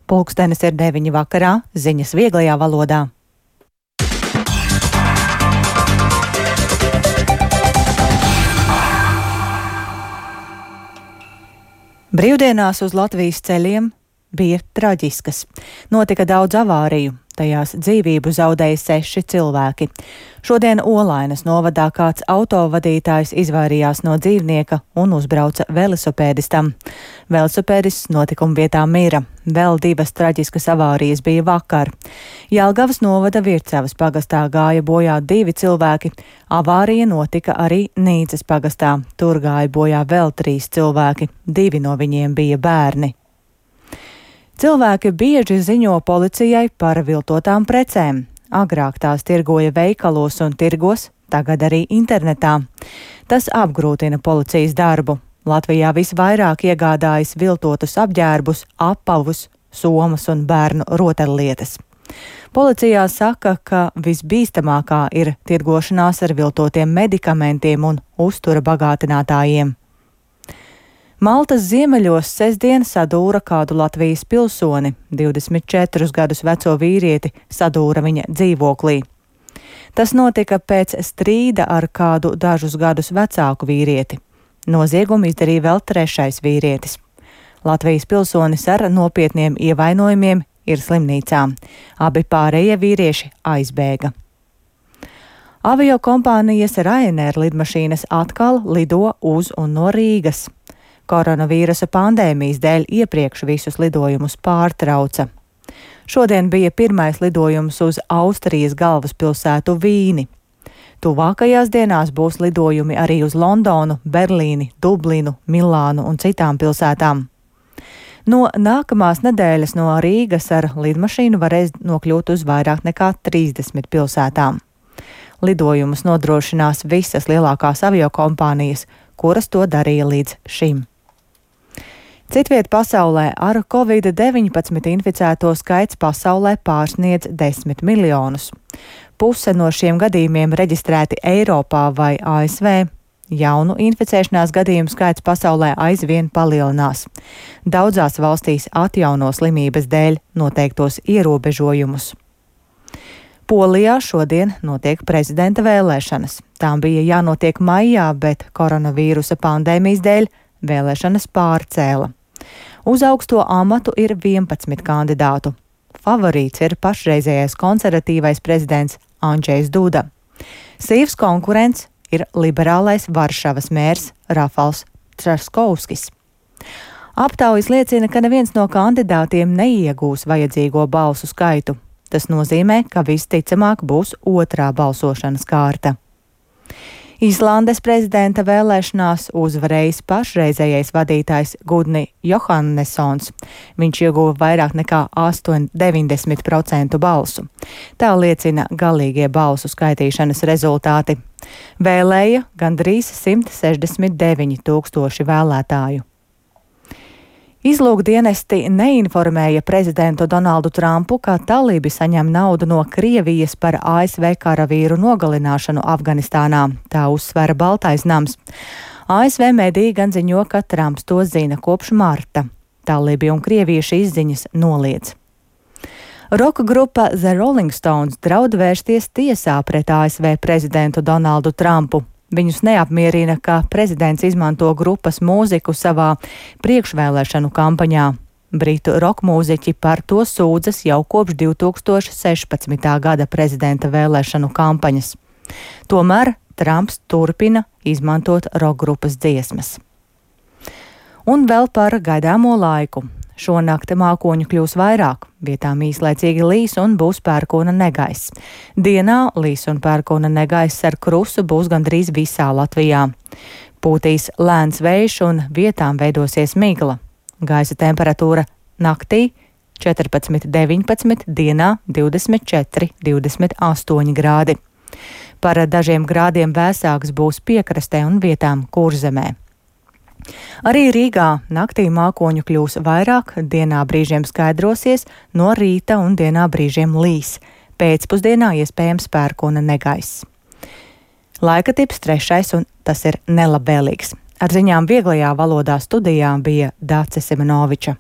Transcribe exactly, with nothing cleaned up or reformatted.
Pulkstenis ir deviņi vakarā, ziņas vieglajā valodā. Brīvdienās uz Latvijas ceļiem bija traģiskas. Notika daudz avāriju, tajās dzīvību zaudēja seši cilvēki. Šodien Olainas novadā kāds autovadītājs izvairījās no dzīvnieka un uzbrauca velosipēdistam. Velosipēdists notikuma vietā mira. Vēl divas traģiskas avārijas bija vakar. Jelgavas novada Vircavas pagastā gāja bojā divi cilvēki. Avārija notika arī Nīcas pagastā. Tur gāja bojā vēl trīs cilvēki. Divi no viņiem bija bērni. Cilvēki bieži ziņo policijai par viltotām precēm. Agrāk tās tirgoja veikalos un tirgos, tagad arī internetā. Tas apgrūtina policijas darbu. Latvijā visvairāk iegādājas viltotus apģērbus, apavus, somas un bērnu rotaļlietas. Policijā saka, ka visbīstamākā ir tirgošanās ar viltotiem medikamentiem un uztura bagātinātājiem. Maltas ziemeļos sestdien sadūra kādu Latvijas pilsoni, divdesmit četrus gadus veco vīrieti, sadūra viņa dzīvoklī. Tas notika pēc strīda ar kādu dažus gadus vecāku vīrieti. Noziegumu izdarīja vēl trešais vīrietis. Latvijas pilsonis ar nopietniem ievainojumiem ir slimnīcā. Abi pārējie vīrieši aizbēga. Avio kompānijas Ryanair lidmašīnas atkal lido uz un no Rīgas. Koronavīrusa pandēmijas dēļ iepriekš visus lidojumus pārtrauca. Šodien bija pirmais lidojums uz Austrijas galvaspilsētu Vīni. Tuvākajās dienās būs lidojumi arī uz Londonu, Berlīni, Dublinu, Milānu un citām pilsētām. No nākamās nedēļas no Rīgas ar lidmašīnu varēs nokļūt uz vairāk nekā trīsdesmit pilsētām. Lidojumus nodrošinās visas lielākās aviokompānijas, kuras to darīja līdz šim. Citviet pasaulē ar covid deviņpadsmit inficēto skaits pasaulē pārsniedz desmit miljonus. Puse no šiem gadījumiem reģistrēti Eiropā vai A S V. Jaunu inficēšanās gadījumu skaits pasaulē aizvien palielinās. Daudzās valstīs atjauno slimības dēļ noteiktos ierobežojumus. Polijā šodien notiek prezidenta vēlēšanas. Tām bija jānotiek maijā, bet koronavīrusa pandēmijas dēļ vēlēšanas pārcēla. Uz augsto amatu ir vienpadsmit kandidātu. Favorīts ir pašreizējais konservatīvais prezidents Andžejs Duda. Sīvs konkurents ir liberālais Varšavas mērs Rafals Traskovskis. Aptaujas liecina, ka neviens no kandidātiem neiegūs vajadzīgo balsu skaitu. Tas nozīmē, ka visticamāk būs otrā balsošanas kārta. Islandes prezidenta vēlēšanās uzvarējis pašreizējais vadītājs Gudni Johannessons. Viņš ieguva vairāk nekā deviņdesmit procentu balsu. Tā liecina galīgie balsu skaitīšanas rezultāti. Vēlēja gandrīz simt sešdesmit deviņi tūkstoši vēlētāju. Izlūkdienesti neinformēja prezidentu Donaldu Trumpu, ka talībi saņem naudu no Krievijas par A S V karavīru nogalināšanu Afganistānā. Tā uzsvēra Baltais nams. A S V mediji gan ziņo, ka Trumps to zina kopš marta. Talībi un Krievija šīs ziņas noliedz. Roka grupa The Rolling Stones draud vērsties tiesā pret A S V prezidentu Donaldu Trumpu. Viņus neapmierina, ka prezidents izmanto grupas mūziku savā priekšvēlēšanu kampaņā. Britu rokmūziķi par to sūdzas jau kopš divi tūkstoši sešpadsmitā gada prezidenta vēlēšanu kampaņas. Tomēr Trumps turpina izmantot rokgrupas dziesmas. Un vēl par gaidāmo laiku. Šonakt mākoņu kļūs vairāk, vietām īslaicīgi līs un būs pērkona negaiss. Dienā līs un pērkona negaiss ar krusu būs gandrīz visā Latvijā. Pūtīs lēns vējš un vietām veidosies migla. Gaisa temperatūra naktī četrpadsmit deviņpadsmit, dienā divdesmit četri divdesmit astoņi grādi. Par dažiem grādiem vēsāks būs piekrastē un vietām Kurzemē. Arī Rīgā naktī mākoņu kļūs vairāk, dienā brīžiem skaidrosies, no rīta un dienā brīžiem līs. Pēcpusdienā iespējams pērkona negaiss. Laika tips trešais, un tas ir nelabvēlīgs. Ar ziņām vieglajā valodā studijā bija Dāce Simenoviča.